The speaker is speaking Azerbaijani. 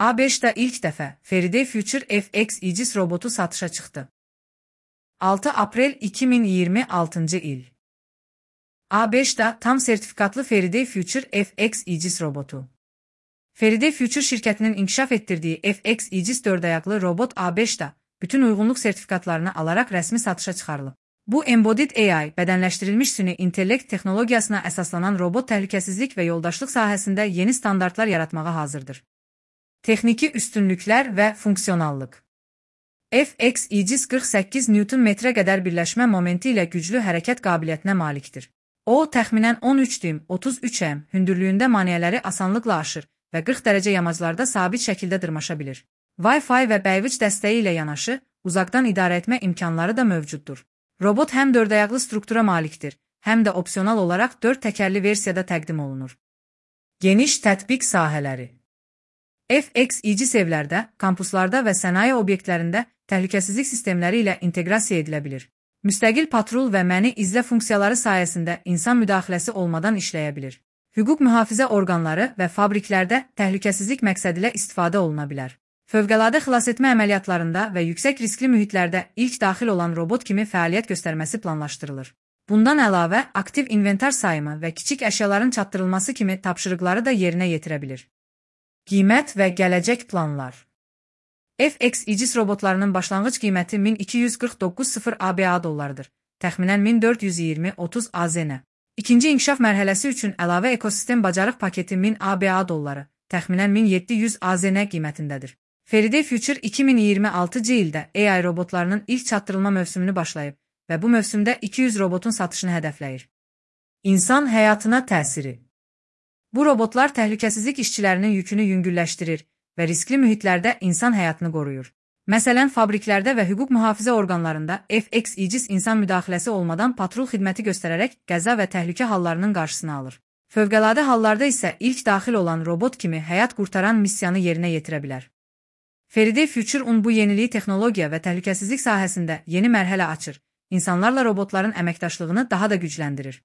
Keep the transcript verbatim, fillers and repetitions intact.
A beşdə ilk dəfə Faraday Future F X İcis robotu satışa çıxdı. altı aprel iki min iyirmi altıncı il. A beşdə tam sertifikatlı Faraday Future F X İcis robotu. Faraday Future şirkətinin inkişaf etdirdiyi F X İcis dörd ayaqlı robot A beşdə bütün uyğunluq sertifikatlarını alaraq rəsmi satışa çıxarılıb. Bu Embodied A I, bədənləşdirilmiş süni intellekt texnologiyasına əsaslanan robot təhlükəsizlik və yoldaşlıq sahəsində yeni standartlar yaratmağa hazırdır. Texniki üstünlüklər və funksionallıq. F X İcis qırx səkkiz newton metrə qədər birləşmə momenti ilə güclü hərəkət qabiliyyətinə malikdir. O, təxminən on üç düym otuz üç em hündürlüyündə maneələri asanlıqla aşır və qırx dərəcə yamaclarda sabit şəkildə dırmaşa bilir. Wi-Fi və bəyvic dəstəyi ilə yanaşı, uzaqdan idarə etmə imkanları da mövcuddur. Robot həm dörd ayaqlı struktura malikdir, həm də opsional olaraq dörd təkərli versiyada təqdim olunur. Geniş tətbiq sahələri. F X İcis evlərdə, kampuslarda və sənaye obyektlərində təhlükəsizlik sistemləri ilə inteqrasiya edilə bilir. Müstəqil patrul və məni izlə funksiyaları sayəsində insan müdaxiləsi olmadan işləyə bilir. Hüquq mühafizə orqanları və fabriklərdə təhlükəsizlik məqsədilə istifadə oluna bilər. Fövqəladə xilasetmə əməliyyatlarında və yüksək riskli mühitlərdə ilk daxil olan robot kimi fəaliyyət göstərməsi planlaşdırılır. Bundan əlavə, aktiv inventar sayımı və kiçik əşyaların çatdırılması kimi tapşırıqları da yerinə yetirə bilir. Qiymət və gələcək planlar. F X İcis robotlarının başlanğıc qiyməti min iki yüz qırx doqquz min A B A dollarıdır, təxminən min dörd yüz iyirmi otuz A Z N. İkinci inkişaf mərhələsi üçün əlavə ekosistem bacarıq paketi min A B A dolları, təxminən min yeddi yüz A Z N qiymətindədir. Faraday Future iki min iyirmi altıncı ildə A I robotlarının ilk çatdırılma mövsümünü başlayıb və bu mövsümdə iki yüz robotun satışını hədəfləyir. İnsan həyatına təsiri. Bu robotlar təhlükəsizlik işçilərinin yükünü yüngülləşdirir və riskli mühitlərdə insan həyatını qoruyur. Məsələn, fabriklərdə və hüquq mühafizə orqanlarında F X İcis insan müdaxiləsi olmadan patrul xidməti göstərərək qəza və təhlükə hallarının qarşısını alır. Fövqəladə hallarda isə ilk daxil olan robot kimi həyat qurtaran missiyanı yerinə yetirə bilər. Faraday Future-un bu yeniliyi texnologiya və təhlükəsizlik sahəsində yeni mərhələ açır, insanlarla robotların əməkdaşlığını daha da gücləndirir.